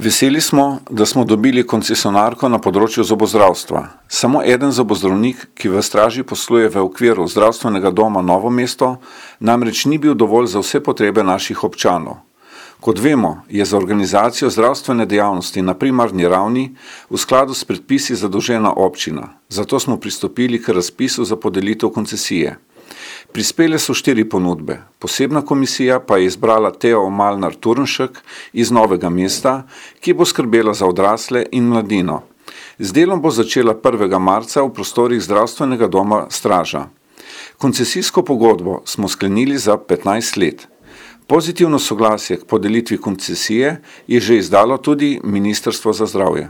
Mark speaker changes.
Speaker 1: Veseli smo, da smo dobili koncesionarko na področju zobozdravstva. Samo eden zobozdravnik, ki v Straži posluje v okviru zdravstvenega doma Novo mesto, namreč ni bil dovolj za vse potrebe naših občanov. Kot vemo, je za organizacijo zdravstvene dejavnosti na primarni ravni v skladu s predpisi zadolžena občina, zato smo pristopili k razpisu za podelitev koncesije. Prispele so 4 ponudbe, posebna komisija pa je izbrala Teo Malnar Turnšek iz Novega mesta, ki bo skrbela za odrasle in mladino. Z delom bo začela 1. marca v prostorih zdravstvenega doma Straža. Koncesijsko pogodbo smo sklenili za 15 let. Pozitivno soglasje k podelitvi koncesije je že izdalo tudi Ministrstvo za zdravje.